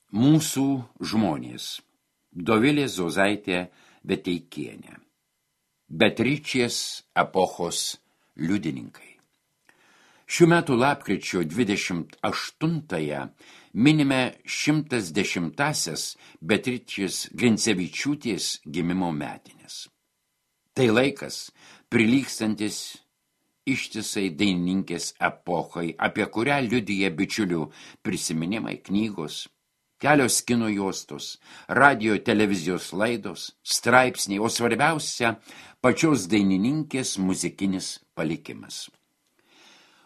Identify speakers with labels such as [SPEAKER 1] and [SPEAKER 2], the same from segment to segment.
[SPEAKER 1] Mūsų žmonės. Dovilė Zozaitė Veteikienė. Beatričės epochos liudininkai. Šių metų lapkričio 28-ąją minime 110-asias Beatričės Grincevičiūtės gimimo metinės. Tai laikas, prilygstantis ištisai dainininkės epochai, apie kurią liudija bičiulių prisiminimai, knygos, kelios kino juostos, radio televizijos laidos, straipsniai, o svarbiausia pačios dainininkės muzikinis palikimas.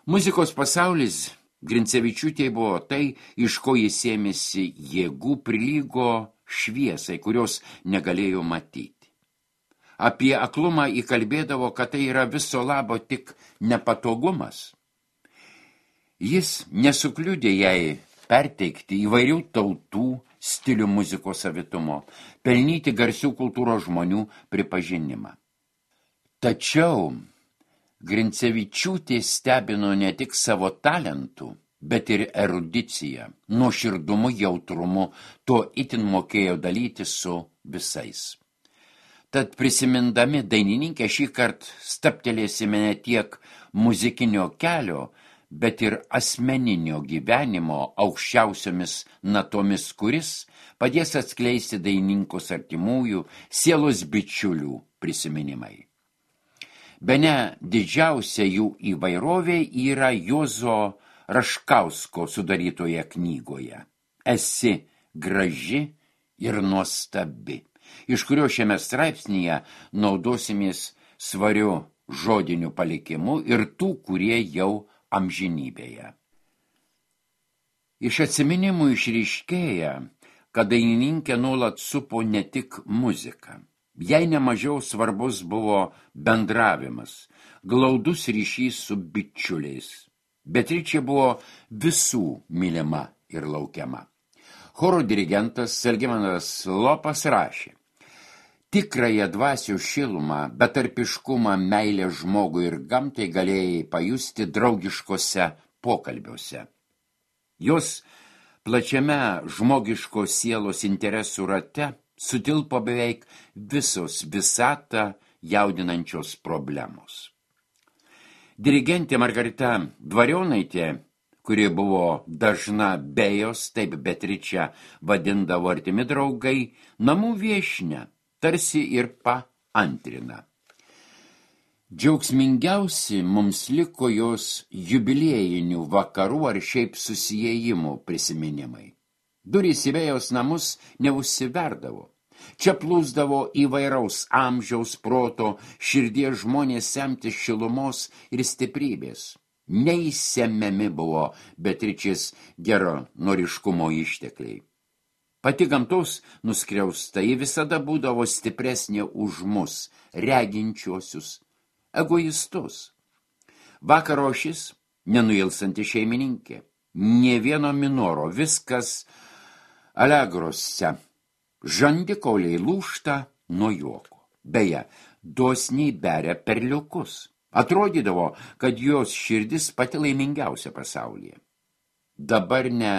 [SPEAKER 1] Muzikos pasaulis Grincevičiūtė buvo tai, iš ko jis ėmėsi jėgų, prilygo šviesai, kurios negalėjo matyti. Apie aklumą įkalbėdavo, kad tai yra viso labo tik nepatogumas. Jis nesukliudė jai perteikti įvairių tautų stilių muzikos savitumo, pelnyti garsių kultūros žmonių pripažinimą. Tačiau Grincevičiūtė stebino ne tik savo talentų, bet ir erudicija, nuoširdumu, jautrumu, to itin mokėjo dalyti su visais. Tad prisimindami dainininkę šį kartą stabtelėsime ne tiek muzikinio kelio, bet ir asmeninio gyvenimo aukščiausiomis natomis, kuris padės atskleisti dainininkus artimųjų, sielos bičiulių prisiminimai. Bene didžiausia jų įvairovė yra Juozo Raškausko sudarytoje knygoje Esi graži ir nuostabi, iš kurio šiame straipsnyje naudosimės svariu žodiniu palikimu ir tų, kurie jau amžinybėje. Iš atsiminimų išryškėja, kad dainininkė nuolat supo ne tik muziką. Jai nemažiau svarbus buvo bendravimas, glaudus ryšys su bičiuliais. Beatričė buvo visų mylima ir laukiama. Choro dirigentas Algimantas Lopas rašė: tikrąją dvasios šilumą, betarpiškumą, meilę žmogui ir gamtai galėjai pajusti draugiškose pokalbiuose. Jos plačiame žmogiškos sielos interesų rate sutilpo beveik visos visatą jaudinančios problemos. Dirigentė Margarita Dvarionaitė, kuri buvo dažna be jos, taip Beatričę vadindavo artimi draugai, namų viešnia, tarsi ir paantrina. Džiaugsmingiausi mums liko jos jubiliejinių vakarų ar šiaip susiejimų prisiminimai. Durys į vėjos namus neužsiverdavo. Čia plūsdavo įvairaus amžiaus, proto, širdies žmonės semtis šilumos ir stiprybės. Neįsemiami buvo Beatričės geranoriškumo ištekliai. Pati gamtos nuskriausta, ji visada būdavo stipresnė už mus, reginčiuosius, egoistus. Vakaro šis nenuilsanti šeimininkė, nė vieno minoro, viskas alegrose. Žandikauliai lūžta nuo juoko. Beje, dosniai beria perliukus. Atrodydavo, kad jos širdis pati laimingiausia pasaulyje. Dabar ne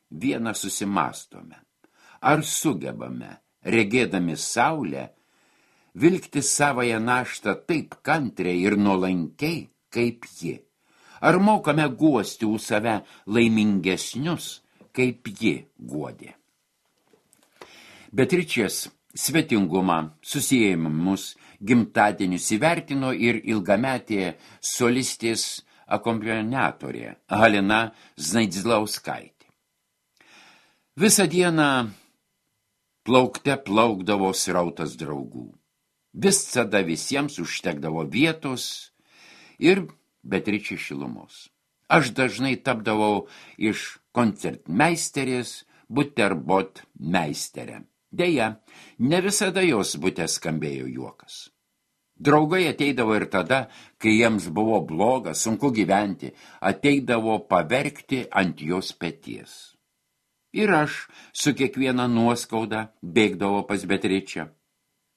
[SPEAKER 1] vieną susimastome. Ar sugebame, regėdami saulę, vilkti savąją naštą taip kantriai ir nuolankiai, kaip ji? Ar mokame guosti už save laimingesnius, kaip ji guodė? Beatričės svetingumą, susiejimus, gimtadienius įvertino ir ilgametė solistės akompaniatorė Halina Znaidzlauskaitė. Visą dieną plaukte plaukdavo srautas draugų. Visada visiems užtekdavo vietos ir Beatričės šilumos. Aš dažnai tapdavau iš koncertmeisterės buterbot meisterė. Deja, ne visada jos bute skambėjo juokas. Draugai ateidavo ir tada, kai jiems buvo bloga, sunku gyventi, ateidavo paverkti ant jos peties. Ir aš su kiekviena nuoskauda bėgdavo pas Beatričę.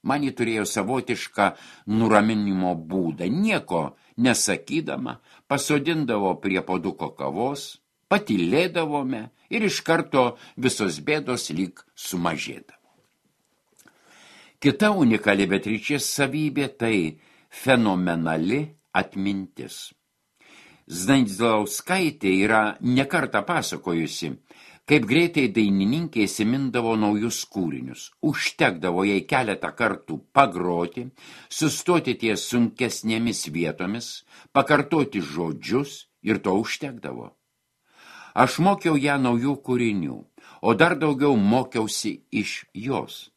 [SPEAKER 1] Man ji turėjo savotišką nuraminimo būdą, nieko nesakydama, pasodindavo prie puoduko kavos, patylėdavome ir iš karto visos bėdos lyg sumažėdavo. Kita unikali Beatričės savybė tai fenomenali atmintis. Znaidzlauskaitė yra nekartą pasakojusi, kaip greitai dainininkė įsimindavo naujus kūrinius. Užtekdavo jai keletą kartų pagroti, sustoti ties sunkesnėmis vietomis, pakartoti žodžius ir to užtekdavo. Aš mokiau ją naujų kūrinių, o dar daugiau mokiausi iš jos.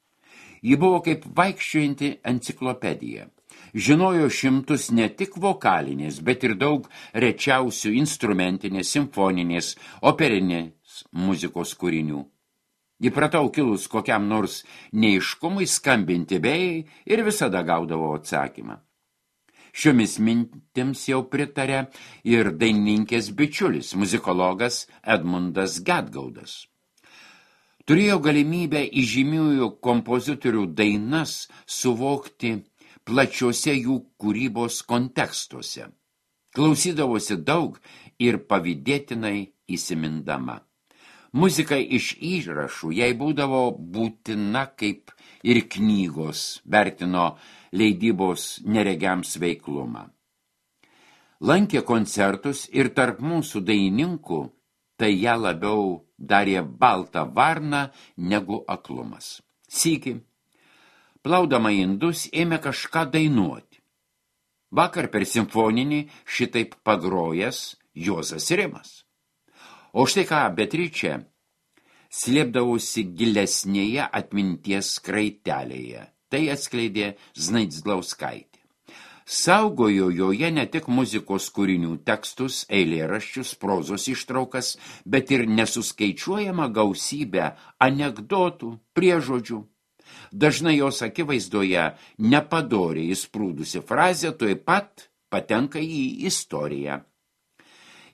[SPEAKER 1] Ji buvo kaip vaikščiojanti enciklopedija. Žinojo šimtus ne tik vokalinės, bet ir daug rečiausių instrumentinės, simfoninės, operinės muzikos kūrinių. Įpratau kilus kokiam nors neaiškumui skambinti vėjai ir visada gaudavo atsakymą. Šiomis mintims jau pritarė ir dainininkės bičiulis, muzikologas Edmundas Gedgaudas. Turėjo galimybę įžymiųjų kompozitorių dainas suvokti plačiuose jų kūrybos kontekstuose. Klausydavosi daug ir pavydėtinai įsimindama. Muzika iš įrašų jai būdavo būtina kaip ir knygos, vertino leidybos neregiams veiklumą. Lankė koncertus ir tarp mūsų dainininkų tai ją labiau darė balta varna negu aklumas. Sykį, plaudama indus, ėmė kažką dainuoti. Vakar per simfoninį šitaip pagrojęs Juozas Rimas. O štai ką Beatričė slėpdavosi gilesnėje atminties kraitelėje. Tai atskleidė Znaidzlauskaitė. Saugojo joje ne tik muzikos kūrinių tekstus, eilėraščius, prozos ištraukas, bet ir nesuskaičiuojama gausybę anekdotų, priežodžių. Dažnai jos akivaizdoje nepadoriai įsprūdusi frazė tuoj pat patenka į istoriją.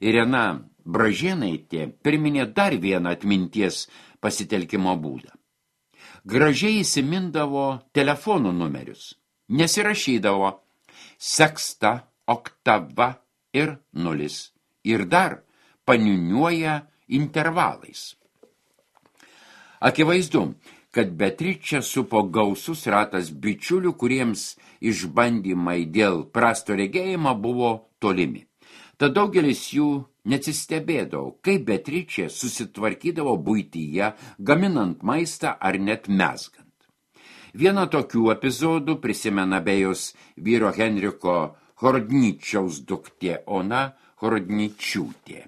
[SPEAKER 1] Irena Bražėnaitė priminė dar vieną atminties pasitelkimo būdą. Gražiai įsimindavo telefonų numerius, nesirašydavo seksta, oktava ir nulis. Ir dar paniuniuoja intervalais. Akivaizdu, kad Beatričę supo gausus ratas bičiulių, kuriems išbandymai dėl prasto regėjimo buvo tolimi. Tad daugelis jų neatsistebėdavo, kaip Beatričė susitvarkydavo buityje, gaminant maistą ar net mezgant. Vieną tokių epizodų prisimena Bejos vyro Henriko Horodničiaus duktė Ona Horodničiūtė.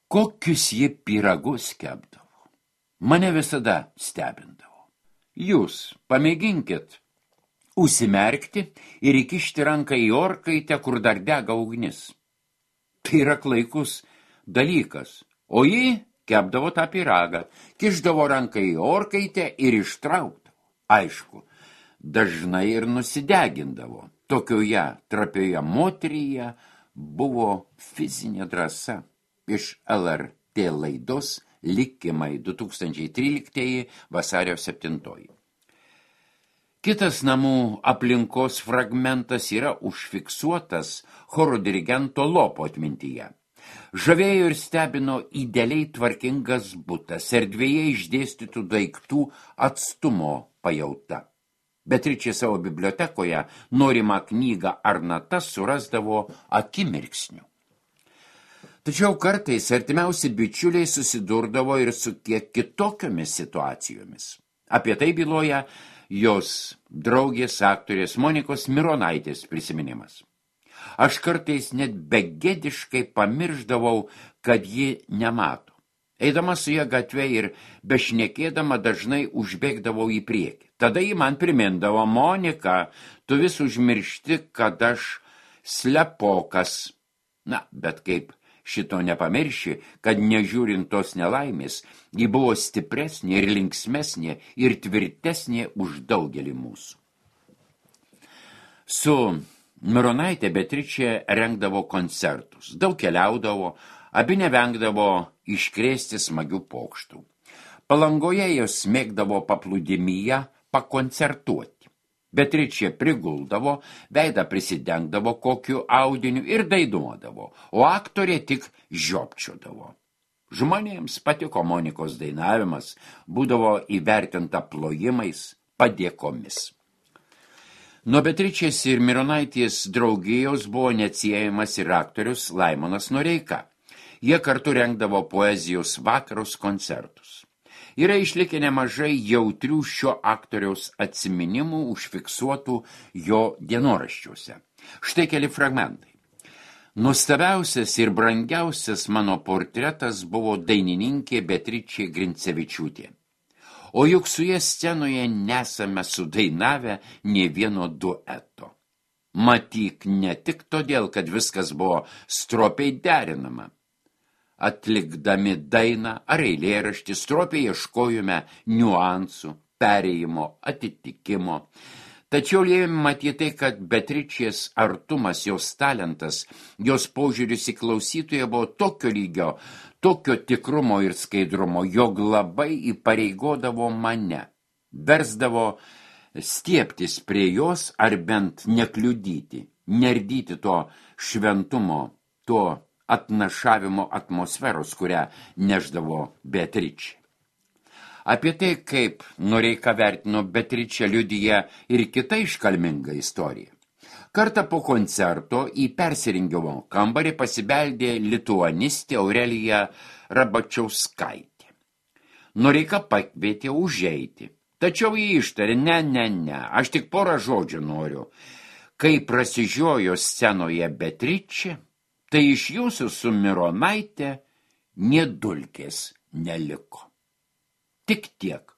[SPEAKER 1] Kokius ji pyragus kepdavo, mane visada stebindavo. Jūs pamėginkit užsimerkti ir įkišti ranką į orkaitę, kur dar dega ugnis. Tai yra klaikus dalykas, o ji kepdavo tą pyragą, kišdavo ranką į orkaitę ir ištraukdavo. Aišku, dažnai ir nusidegindavo. Tokioje trapioje moteryje buvo fizinė drąsa. Iš LRT laidos Likimai 2013 vasario 7. Kitas namų aplinkos fragmentas yra užfiksuotas choro dirigento Lopo atmintyje. Žavėjo ir stebino idealiai tvarkingas butas, erdvėje išdėstytų daiktų atstumo pajauta. Beatričė savo bibliotekoje norimą knygą ar natas surasdavo akimirksniu. Tačiau kartais artimiausi bičiuliai susidurdavo ir su kiek kitokiomis situacijomis. Apie tai byloja jos draugės aktorės Monikos Mironaitės prisiminimas. Aš kartais net begėdiškai pamiršdavau, kad ji nemato. Eidama su ja gatvė ir bešnekėdama dažnai užbėgdavau į priekį. Tada ji man primindavo: Monika, tu vis užmiršti, kad aš slepokas. Na, bet kaip šito nepamirši, kad nežiūrint tos nelaimės, ji buvo stipresnė ir linksmesnė ir tvirtesnė už daugelį mūsų. Su Mironaitė Beatričė rengdavo koncertus, daug keliaudavo, abi nevengdavo iškrėsti smagių pokštų. Palangoje jos mėgdavo paplūdimyje pakoncertuoti. Beatričė priguldavo, veidą prisidengdavo kokiu audiniu ir dainuodavo, o aktorė tik žiopčiodavo. Žmonėms patiko Monikos dainavimas, būdavo įvertinta plojimais, padėkomis. Nuo Beatričės ir Mironaitės draugijos buvo neatsiejamas ir aktorius Laimonas Noreika. Jie kartu rengdavo poezijos vakarus, koncertus. Yra išlikę nemažai jautrių šio aktoriaus atsiminimų užfiksuotų jo dienoraščiuose. Štai keli fragmentai. Nuostabiausias ir brangiausias mano portretas buvo dainininkė Beatričė Grincevičiūtė. O juk su jie scenoje nesame sudainavę nė vieno dueto. Matyk ne tik todėl, kad viskas buvo stropiai derinama. Atlikdami dainą ar eilėraštį stropiai ieškojome niuansų, perėjimo, atitikimo. Tačiau lėmė matyti, kad Beatričės artumas, jos talentas, jos požiūris į klausytoją buvo tokio lygio, tokio tikrumo ir skaidrumo, jog labai įpareigodavo mane, versdavo stieptis prie jos ar bent nekliudyti, nerdyti to šventumo, to atnašavimo atmosferos, kurią neždavo Beatričė. Apie tai, kaip Noreika vertino Beatričę, liudija ir kita iškalminga istorija. Kartą po koncerto į persirengimo kambarį pasibeldė lituanistė Aurelija Rabačiauskaitė. Noreika pakvietė užeiti, tačiau jį ištarė, ne, aš tik porą žodžių noriu. Kai prasižiojo scenoje Beatričė, tai iš jūsų su Mironaite nė dulkės neliko. Tik tiek.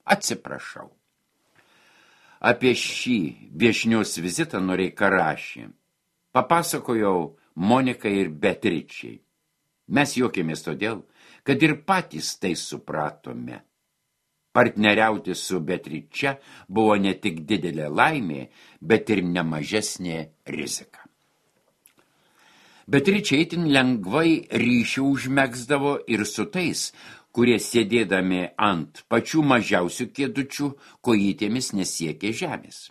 [SPEAKER 1] Atsiprašau. Apie šį viešnios vizitą Noreika rašė. Papasakojau Monikai ir Beatričiai. Mes juokėmės todėl, kad ir patys tai supratome. Partneriauti su Beatriče buvo ne tik didelė laimė, bet ir nemažesnė rizika. Beatričė itin lengvai ryšį užmegzdavo ir su tais, kurie sėdėdami ant pačių mažiausių kėdučių kojytėmis nesiekė žemės.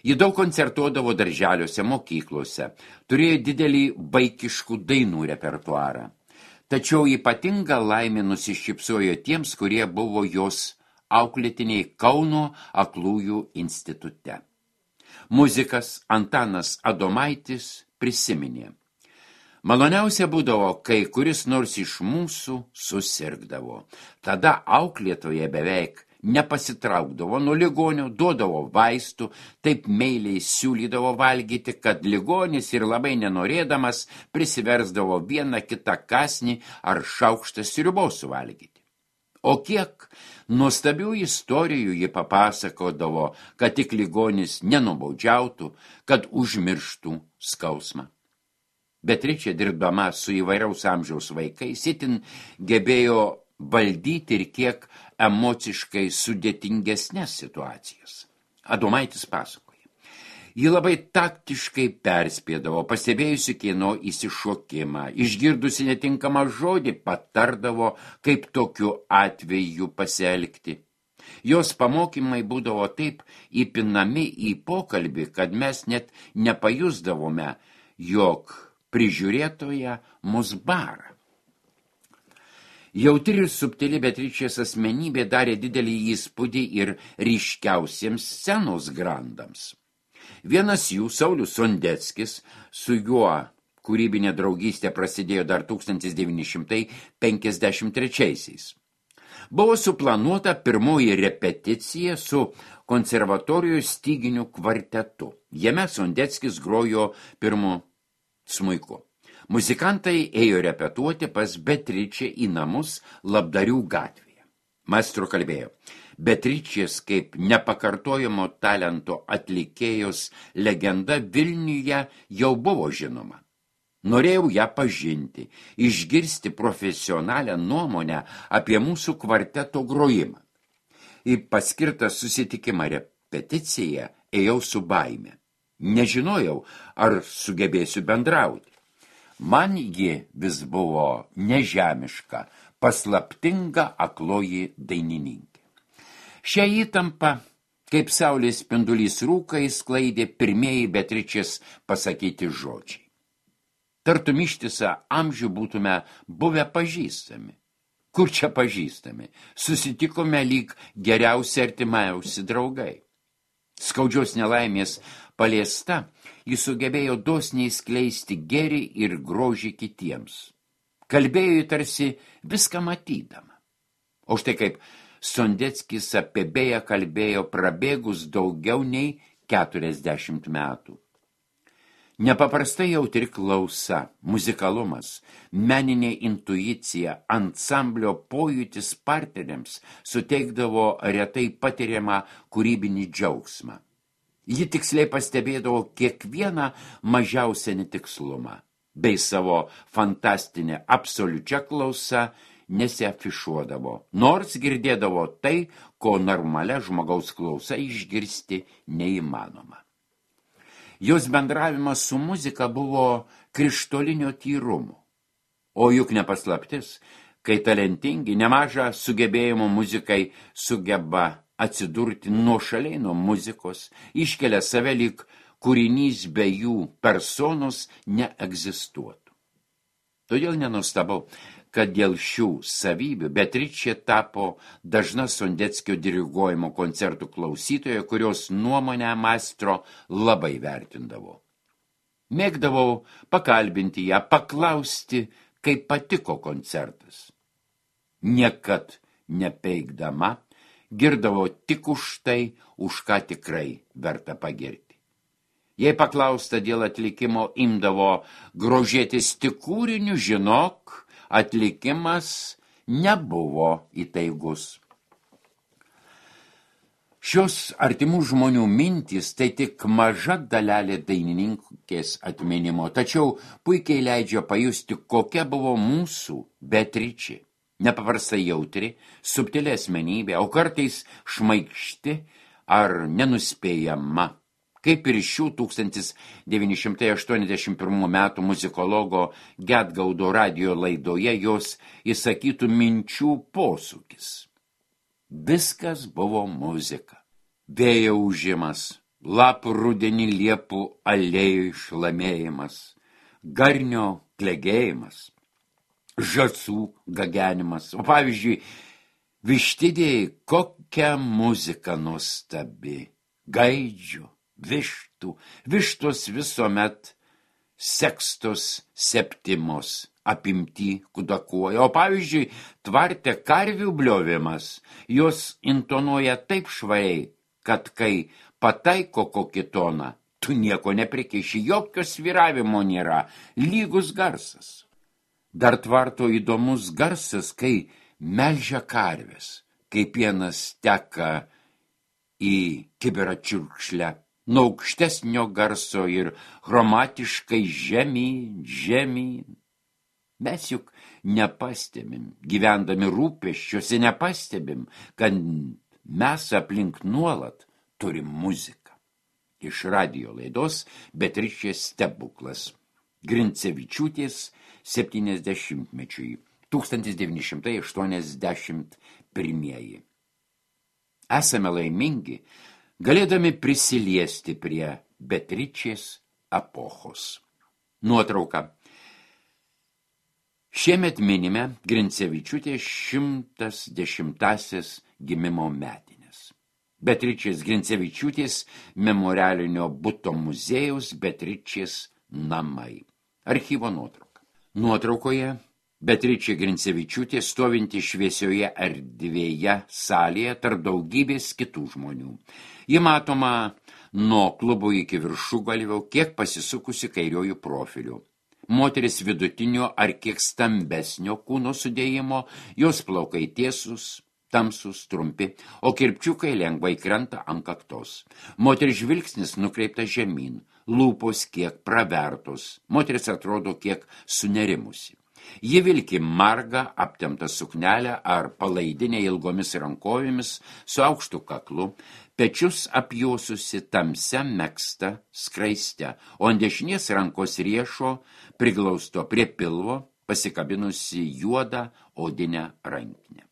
[SPEAKER 1] Ji daug koncertuodavo darželiuose, mokyklose, turėjo didelį vaikiškų dainų repertuarą. Tačiau ypatinga laimė nusišypsojo tiems, kurie buvo jos auklėtiniai Kauno aklųjų institute. Muzikas Antanas Adomaitis prisiminė. Maloniausia būdavo, kai kuris nors iš mūsų susirgdavo. Tada auklėtoje beveik nepasitraukdavo nuo ligonio, duodavo vaistų, taip meiliai siūlydavo valgyti, kad ligonis ir labai nenorėdamas prisiversdavo vieną kitą kąsnį ar šaukštą sriubos suvalgyti. O kiek nuostabių istorijų ji papasakodavo, kad tik ligonis nenubaudžiautų, kad užmirštų skausmą. Beatričė, dirbdama su įvairaus amžiaus vaikais, itin gebėjo valdyti ir kiek emociškai sudėtingesnės situacijas. Adomaitis pasakoja. Ji labai taktiškai perspėdavo, pastebėjusi kieno įsišokimą, išgirdusi netinkamą žodį, patardavo, kaip tokiu atveju pasielgti. Jos pamokymai būdavo taip įpinami į pokalbį, kad mes net nepajusdavome, jog prižiūrėtoja mus bara. Jautri ir subtili Beatričės asmenybė darė didelį įspūdį ir ryškiausiems scenos grandams. Vienas jų, Saulius Sondeckis, su juo kūrybinė draugystė prasidėjo dar 1953-aisiais. Buvo suplanuota pirmoji repeticija su konservatorijos styginių kvartetu. Jame Sondeckis grojo pirmu smuiku. Muzikantai ėjo repetuoti pas Beatričę į namus Labdarių gatvėje. Maestro kalbėjo, Beatričės kaip nepakartojamo talento atlikėjos legenda Vilniuje jau buvo žinoma. Norėjau ją pažinti, išgirsti profesionalią nuomonę apie mūsų kvarteto grojimą. Į paskirtą susitikimą repeticiją ėjau su baime. Nežinojau, ar sugebėsiu bendrauti. Man ji vis buvo nežemiška, paslaptinga akloji dainininkė. Šią įtampą Kaip saulės spindulys rūkai sklaidė pirmieji Beatričės pasakyti žodžiai. Tartum ištisą amžių būtume buvę pažįstami. Kur čia pažįstami? Susitikome lyg geriausi artimiausi draugai. Skaudžios nelaimės paliesta, jis sugebėjo dosniai skleisti gėrį ir grožį kitiems. Kalbėjo tarsi viską matydama. O štai kaip Sondeckis apie Bėją kalbėjo prabėgus daugiau nei 40 metų. Nepaprastai jautri klausa, muzikalumas, meninė intuicija, ansamblio pojūtis partneriams suteikdavo retai patiriamą kūrybinį džiaugsmą. Ji tiksliai pastebėdavo kiekvieną mažiausią netikslumą, bei savo fantastinę absoliučią klausą nesiafišuodavo, nors girdėdavo tai, ko normalia žmogaus klausa išgirsti neįmanoma. Jos bendravimas su muzika buvo krištolinio tyrumo, o juk nepaslaptis, kai talentingi nemažą sugebėjimo muzikai sugeba atsidurti nuošaliai nuo muzikos, iškelia save lyg kūrinys be jų personos neegzistuotų. Todėl nenustebau, kad dėl šių savybių Beatričė tapo dažna Sondeckio diriguojimo koncertų klausytoja, kurios nuomonę maestro labai vertindavo. Mėgdavau pakalbinti ją, paklausti, kaip patiko koncertas. Niekad nepeikdama, girdavo tik už tai, už ką tikrai verta pagirti. Jei paklausta dėl atlikimo, imdavo grožėtis tik kūriniu, žinok, atlikimas nebuvo įtaigus. Šios artimų žmonių mintys tai tik maža dalelė dainininkės atminimo, tačiau puikiai leidžia pajusti, kokia buvo mūsų Beatričė. Nepaprastai jautri, subtili asmenybė, o kartais šmaikšti ar nenuspėjama. Kaip ir šių 1981 metų muzikologo Gedgaudo radijo laidoje jos įsakytų minčių posūkis. Viskas buvo muzika. Vėjo ūžimas, lapų rudenį liepų alėjų šlamėjimas, garnio klegėjimas, žąsų gagenimas. O pavyzdžiui, vištidėjai, kokia muzika nuostabi, gaidžių, vištų, vištos visuomet sekstos septimos apimti kudakuoja. O pavyzdžiui, tvarte karvių bliovimas, jos intonuoja taip švariai, kad kai pataiko kokį toną, tu nieko neprikeiši, jokio svyravimo nėra, lygus garsas. Dar tvarto įdomus garsas, kai melžia karvės, kai pienas teka į kibirą čiurkšlę, nuo aukštesnio garso ir chromatiškai žemyn. Mes juk nepastebim, gyvendami rūpesčiuose nepastebim, kad mes aplink nuolat turim muziką. Iš radijo laidos Beatričės stebuklas. Grincevičiūtės 70-mečiui 1981. Esame laimingi, galėdami prisiliesti prie Beatričės epochos. Nuotrauka. Šiemet minime Grincevičiūtės 110 gimimo metinės. Beatričės Grincevičiūtės memorialinio buto muziejaus Beatričės namai. Archyvo nuotrauka. Nuotraukoje Beatričė Grincevičiūtė stovinti šviesioje erdvėje salėje tarp daugybės kitų žmonių. Ji matoma nuo klubo iki viršugalvio, kiek pasisukusi kairiojų profilių. Moteris vidutinio ar kiek stambesnio kūno sudėjimo, jos plaukai tiesus, tamsus, trumpi, o kirpčiukai lengvai krenta ant kaktos. Moteris žvilgsnis nukreiptas žemyn, lūpos kiek pravertos, moteris atrodo kiek sunerimusi. Ji vilki margą aptemptą suknelę ar palaidinę ilgomis rankovėmis su aukštu kaklu, pečius apjuosusi tamsia megzta skraiste, o ant dešinės rankos riešo priglausto prie pilvo pasikabinusi juodą odinę rankinę.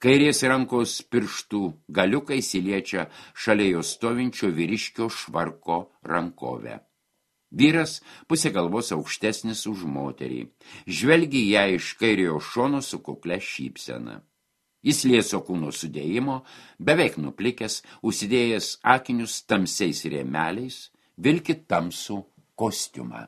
[SPEAKER 1] Kairės rankos pirštų galiukai įsiliečia šalia jo stovinčio vyriškio švarko rankovę. Vyras pusė galvos aukštesnis už moterį. Žvelgi ją iš kairiojo šono su kuklia šypsena. Jis lieso kūno sudėjimo, beveik nuplikęs, užsidėjęs akinius tamsiais rėmeliais, vilki tamsų kostiumą.